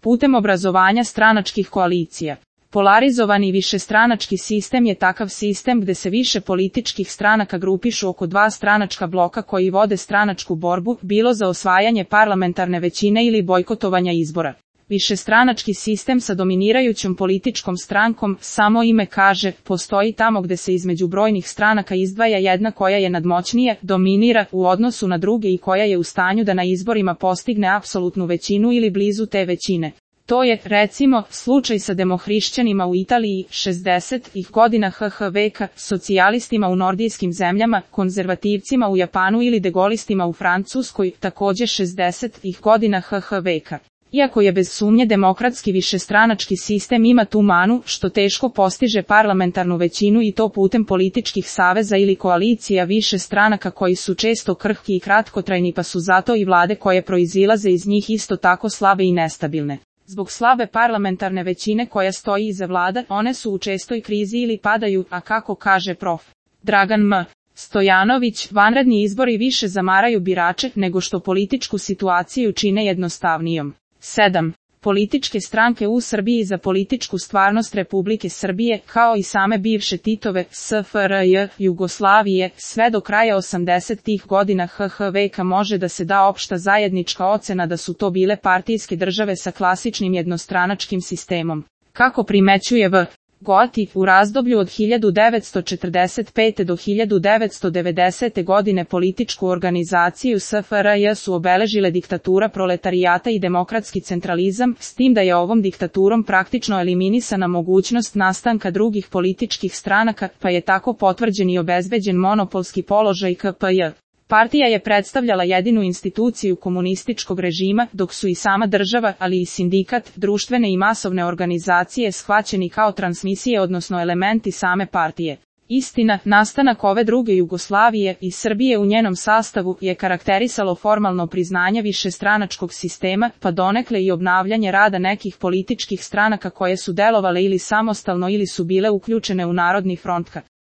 putem obrazovanja stranačkih koalicija. Polarizovani višestranački sistem je takav sistem gde se više političkih stranaka grupišu oko dva stranačka bloka koji vode stranačku borbu, bilo za osvajanje parlamentarne većine ili bojkotovanja izbora. Višestranački sistem sa dominirajućom političkom strankom, samo ime kaže, postoji tamo gde se između brojnih stranaka izdvaja jedna koja je nadmoćnija, dominira u odnosu na druge i koja je u stanju da na izborima postigne apsolutnu većinu ili blizu te većine. To je, recimo, slučaj sa demohrišćanima u Italiji 60-ih godina HH veka, socijalistima u nordijskim zemljama, konzervativcima u Japanu ili degolistima u Francuskoj, takođe 60-ih godina HH veka. Iako je bez sumnje demokratski višestranački sistem ima tu manu što teško postiže parlamentarnu većinu i to putem političkih saveza ili koalicija više stranaka koji su često krhki i kratkotrajni pa su zato i vlade koje proizilaze iz njih isto tako slabe i nestabilne. Zbog slabe parlamentarne većine koja stoji iza vlada, one su u čestoj krizi ili padaju, a kako kaže prof. Dragan M. Stojanović, vanredni izbori više zamaraju birače nego što političku situaciju čine jednostavnijom. 7. Političke stranke u Srbiji za političku stvarnost Republike Srbije, kao i same bivše Titove, SFRJ, Jugoslavije, sve do kraja 80-ih godina HH veka može da se da opšta zajednička ocena da su to bile partijske države sa klasičnim jednostranačkim sistemom. Kako primećuje V. Goti, u razdoblju od 1945. do 1990. godine političku organizaciju SFRJ su obeležile diktatura proletarijata i demokratski centralizam, s tim da je ovom diktaturom praktično eliminisana mogućnost nastanka drugih političkih stranaka, pa je tako potvrđen i obezbeđen monopolski položaj KPJ. Partija je predstavljala jedinu instituciju komunističkog režima, dok su i sama država, ali i sindikat, društvene i masovne organizacije shvaćeni kao transmisije odnosno elementi same partije. Istina, nastanak ove druge Jugoslavije i Srbije u njenom sastavu je karakterisalo formalno priznanje višestranačkog sistema, pa donekle i obnavljanje rada nekih političkih stranaka koje su delovale ili samostalno ili su bile uključene u Narodni front.